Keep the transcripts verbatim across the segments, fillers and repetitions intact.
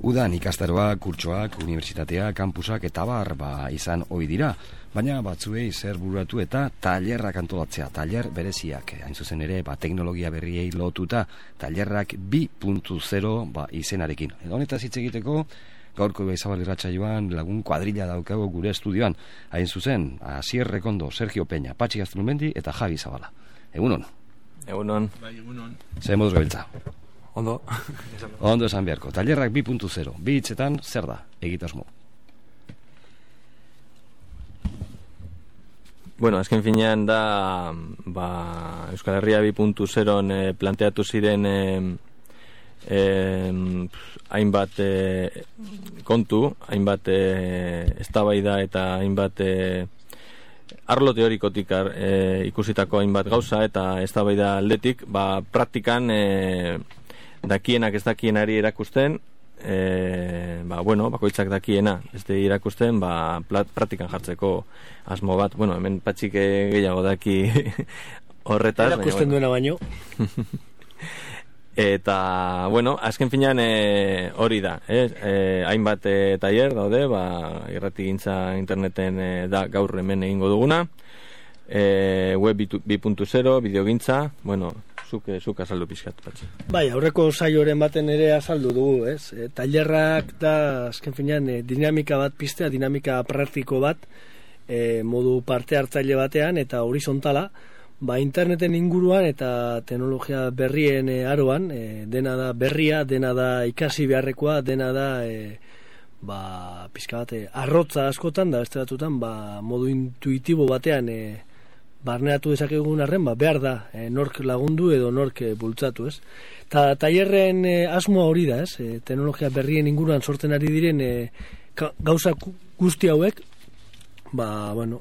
Udan ikastaroak, kurtsoak, unibertsitatea, kampusak eta bar ba, izan ohi dira, baina batzuei zer bururatu eta tailerrak antolatzea, tailer bereziak, hain zuzen ere, ba, teknologia berriei lotuta, tailerrak bi puntu zero ba, izenarekin. Edo honetaz hitz egiteko, gaurko Izabal irratsaioan lagun kuadrilla daukago gure estudioan, hain zuzen, Asier Rekondo, Sergio Peña, Patxi Gaztelumendi eta Javi Zabala. Egunon. Egunon. Bai, egunon. Zer moduz gabiltza? Ondo. Ondo esan beharko. Tailerrak bi puntu zero. Bi hitzetan zer da egitasmo? Bueno, azken finean da ba, Euskal Herria bi puntu zeron eh, planteatu ziren eh, eh, hainbat eh, kontu, hainbat eh, eztabaida eta hainbat eh, arlo teorikotik eh, ikusitako hainbat gauza eta eztabaida aldetik, ba, praktikan eh, dakienak ez dakienari erakusten, e, ba, bueno, bakoitzak dakiena ez de irakusten, ba, praktikan jartzeko asmo bat. Bueno, hemen Patxik gehiago daki horretaz. Erakusten duena baino. Eta, bueno, azken finean e, hori da, eh? E, hainbat e, tailer daude, ba, irratigintza interneten e, da gaur hemen egingo duguna, e, web bi puntu zero, bideogintza, bueno, zuk, zuk azaldu pizkat, Patxi. Bai, aurreko saioren baten ere azaldu dugu, ez? E, tailerrak da, azken finean, e, dinamika bat piztea, dinamika praktiko bat, e, modu parte hartzaile batean, eta horizontala, ba, interneten inguruan eta teknologia berrien e, aroan, e, dena da berria, dena da ikasi beharrekoa, dena da e, ba, pizka bat, e, arrotza askotan da, beste batutan, ba, modu intuitibo batean e, barneratu dezakegun arren, ba, behar da, e, nork lagundu edo nork e, bultzatu, ez? Ta tailerren e, asmoa hori da, ez? E, teknologia berrien inguruan sortzen ari diren e, gauza guzti hauek, ba, bueno,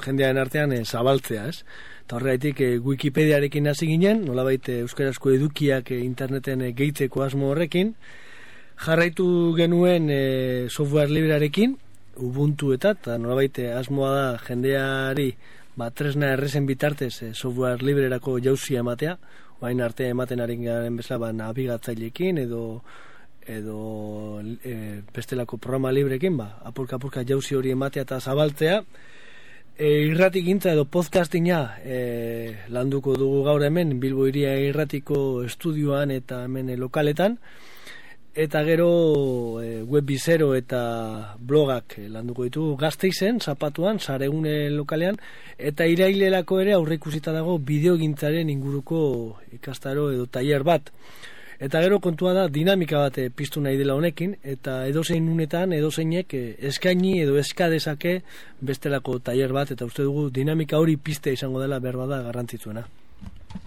jendearen artean e, zabaltzea, ez? Eta horregatik e, Wikipediarekin hasi ginen, nolabait e, euskarazko edukiak e, interneten e, gehitzeko asmo horrekin, jarraitu genuen e, software librearekin, Ubuntu eta, eta nolabait e, asmoa da jendeari ba, tresna errezen bitartez e, software librerako jauzia ematea, baina arte ematen ari garen bezala ba, nabigatzailekin edo edo e, bestelako programa librekin, ba, apurka-apurka jauzi hori ematea eta zabaltzea. E, irratigintza edo podcastinga e, landuko dugu gaur hemen Bilbo Hiria Irratiko estudioan eta hemen e, lokaletan, eta gero e, web bizero eta blogak e, landuko ditugu Gasteizen, Zapatuan, Saregune lokalean, eta irailelako ere aurreikusita dago bideogintzaren inguruko ikastaro edo tailer bat. Eta gero kontua da dinamika bat e, piztu nahi dela honekin, eta edozein unetan, edozeinek e, eskaini edo eskadezake bestelako tailer bat, eta uste dugu dinamika hori piztea izango dela behar bada garrantzitsuena.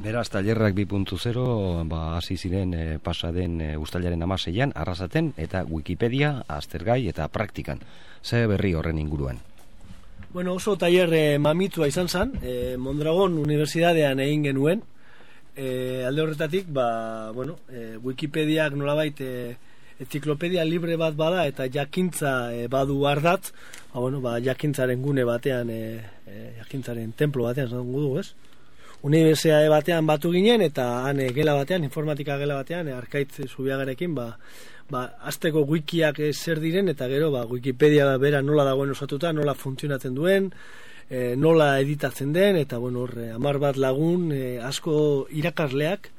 Beraz, tailerrak bi puntu zero ba, hasi ziren e, pasaden e, uztailaren hamaseian, Arrasaten eta Wikipedia, aztergai eta praktikan. Ze berri horren inguruan? Bueno, oso tailer e, mamitua izan zen, e, Mondragon Unibertsitatean egin genuen, e, alde horretatik, ba, bueno, e, Wikipediak nolabait e, enciklopedia libre bat bada eta jakintza e, badu ardatz, ba, bueno, ba, jakintzaren gune batean, e, e, jakintzaren templo batean zango dugu, ez? Unibertsitate batean batu ginen eta han e, gela batean, informatika gela batean, e, Arkaitz Zubiagarekin, ba, ba, azteko wikiak e, zer diren eta gero ba, Wikipedia bera nola dagoen osatuta, nola funtzionatzen duen, e, nola editatzen den, eta bueno, horre, amar bat lagun, e, asko irakasleak,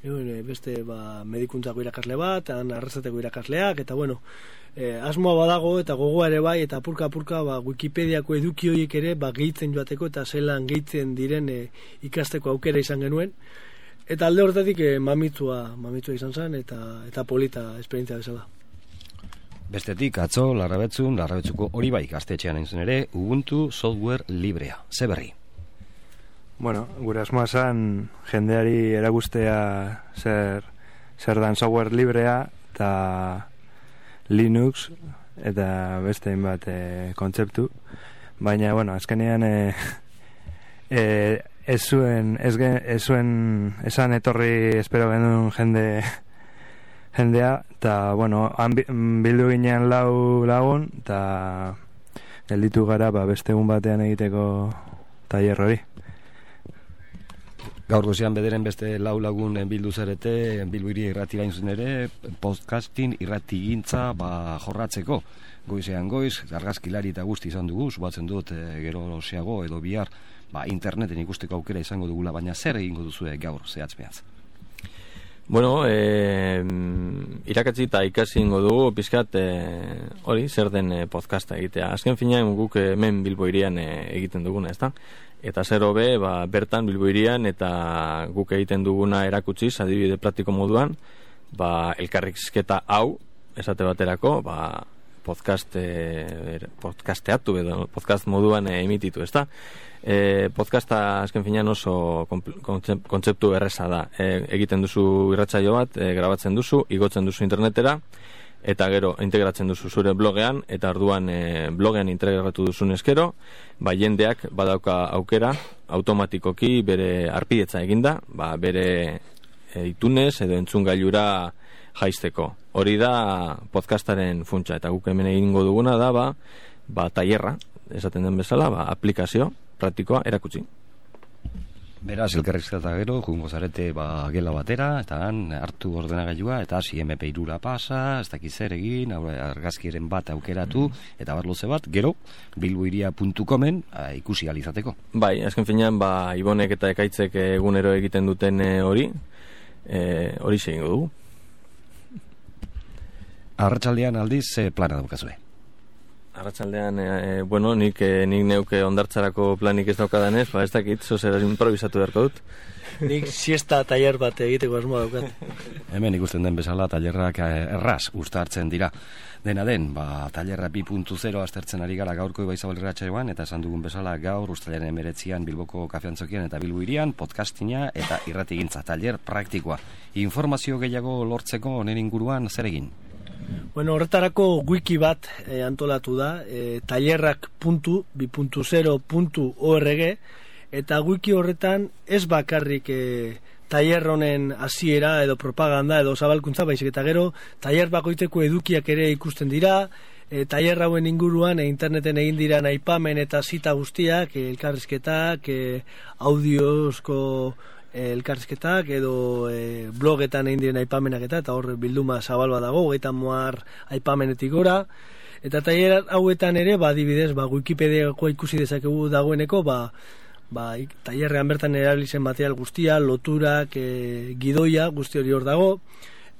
e, beste ba, medikuntzako irakasle bat, han Arrasateko irakasleak, eta bueno, e, asmoa badago eta gogoa ere bai, eta apurka-apurka ba, Wikipediako eduki horiek ere ba, gehitzen joateko eta zelan gehitzen diren e, ikasteko aukera izan genuen. Eta alde horretatik e, mamitua, mamitua izan zen eta, eta polita esperientzia bezala. Bestetik, atzo, Larrabetzun, Larrabetzuko hori bai gaztetxean egin zen ere, Ubuntu software librea. Ze berri? Bueno, gure asmoa zen jendeari erakustea zer, zer dan software librea eta Linux eta beste hainbat e, kontzeptu, baina bueno, azkenean e, e, ez zuen ez, gen, ez zuen esan etorri espero genuen jende jendea, eta bueno, han bildu ginen lau lagun eta gelditu gara ba, beste egun batean egiteko tailer hori. Gaur gozean bederen beste lau lagun bildu zarete, Bilbo Hiria irrati gain zuzen ere, podcasting irrati gintza ba, jorratzeko. Goizean goiz, argazkilari eta guzti izan dugu, subatzen dut e, gero seago edo bihar ba, interneten ikusteko aukera izango dugula, baina zer egingo duzu gaur zehatz mehatz? Bueno, e, irakatzi eta ikasi ingo dugu, pizkat, e, hori, zer den e, podcasta egitea. Azken finean guk hemen Bilbo Hirian e, egiten duguna, ezta? Eta zer hobe, ba, bertan Bilbo Hirian eta guk egiten duguna erakutsiz, adibide praktiko moduan, ba, elkarrizketa hau, esate baterako, ba, podcast e, podcasteatu edo podcast moduan e, emititu, ezta? E, podcasta azken finean oso kontzeptu erreza da. E, egiten duzu irratsaio bat, e, grabatzen duzu, igotzen duzu internetera, eta gero integratzen duzu zure blogean, eta orduan e, blogean integratu duzun eskero, ba, jendeak badauka aukera, automatikoki bere arpidetza eginda, ba, bere e, itunez edo entzungailura jaisteko. Hori da podcastaren funtsa, eta guk hemen egingo duguna da ba, ba tailerra, esaten den bezala, ba, aplikazio praktikoa erakutsi. Beraz, elkarrizketa gero, jungo zarete ba, gela batera, eta han hartu ordenagailua, eta hasi eme pe hirura pasa, ez dakiz zer egin, argazkiren bat aukeratu, eta barloze bat, gero, bilbohiria puntu comen ikusi alizateko. Bai, azken finean, ba, Ibonek eta Ekaitzek egunero egiten duten e, hori, hori e, segingo dugu. Arratsaldean aldiz, ze plana daukazue? Arratsaldean, e, bueno, nik, e, nik neuke ondartzarako planik ez daukadanez, ba ez dakit, zozer improvisatu beharko dut. Nik siesta tailer bat egiteko asmoa daukat. Hemen ikusten den bezala tailerrak erraz uztartzen dira. Dena den, ba, tailerra bi puntu zero aztertzen ari gara gaurko Ibaizabal irratsaioan, eta esan dugun bezala gaur uztailaren hemeretzian Bilboko Kafeantzokian eta Bilbo Hirian podcastina eta irratigintza tailer praktikoa. Informazio gehiago lortzeko honen inguruan zer egin? Bueno, horretarako wiki bat eh, antolatu da, eh, tailerrak puntu bi puntu zero puntu org, eta wiki horretan ez bakarrik eh, tailer honen hasiera edo propaganda edo zabalkuntza, baizik eta gero tailer bakoitzeko edukiak ere ikusten dira, e, tailer hauen inguruan e, interneten egin dira aipamen eta zita guztiak, e, elkarrizketak, e, audiozko e, elkarrizketak edo e, blogetan egin diren aipamenak eta eta hor bilduma zabalba dago, eta moar aipamenetik gora. Eta tailer hauetan ere, ba, adibidez, ba, Wikipediako ikusi dezakegu dagoeneko, ba, ba, tailerrean bertan erabilizen material guztia, loturak, e, gidoia, guzti hori hor dago.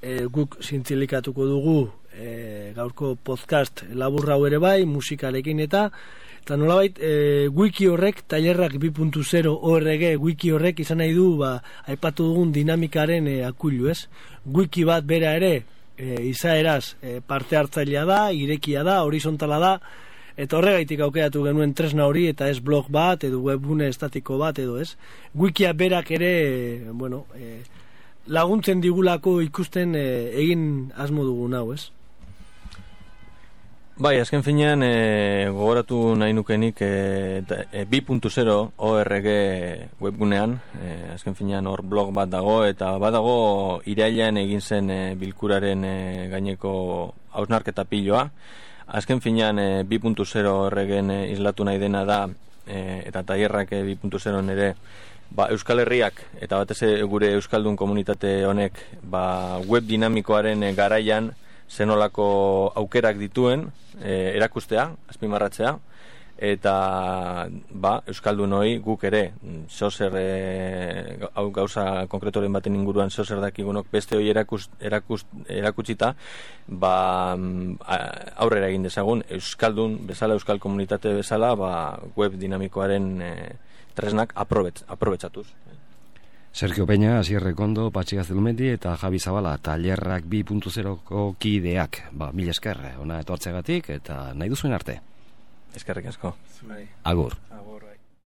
E, guk zintzilikatuko dugu e, gaurko podcast laburra hau ere bai, musikalekin eta eta nolabait e, wiki horrek, tailerrak bi puntu zero org wiki horrek izan nahi du, ba, aipatu dugun dinamikaren e, akuilu, ez? Wiki bat bera ere, e, izaeraz e, parte hartzailea da, irekia da, horizontala da, eta horregaitik aukeratu genuen tresna hori, eta ez blog bat, edo webgune estatiko bat, edo ez. Wikia berak ere, e, bueno, e, laguntzen digulako ikusten e, egin asmo dugun hau, ez? Bai, azken finean e, gogoratu nahi nukenik e, e, bi puntu zero org webgunean, e, azken finean hor blog bat dago, eta badago irailean egin zen e, bilkuraren e, gaineko hausnarketa piloa. Azken finean e, bi puntu zero orgen e, islatu nahi dena da, e, eta tailerrak e, bi puntu zero ere, ba, Euskal Herriak eta batez gure Euskaldun komunitate honek ba, web dinamikoaren e, garaian zenolako aukerak dituen e, erakustea, azpimarratzea, eta ba, Euskaldun hori guk ere zozer e, hau gauza konkretoren baten inguruan zozer dakigunok beste hori erakus, erakus, erakutsita ba, aurrera egin dezagun Euskaldun bezala, Euskal komunitate bezala ba, web dinamikoaren e, tresnak aprobetz, aprobetsatuz. Sergio Peña, Asier Rekondo, Patxi Gaztelumendi eta Javi Zabala, tailerrak bi puntu zeroko kideak. Ba, mila esker, ona etortzegatik eta nahi duzuen arte. Eskerrik asko. Agur. Agur.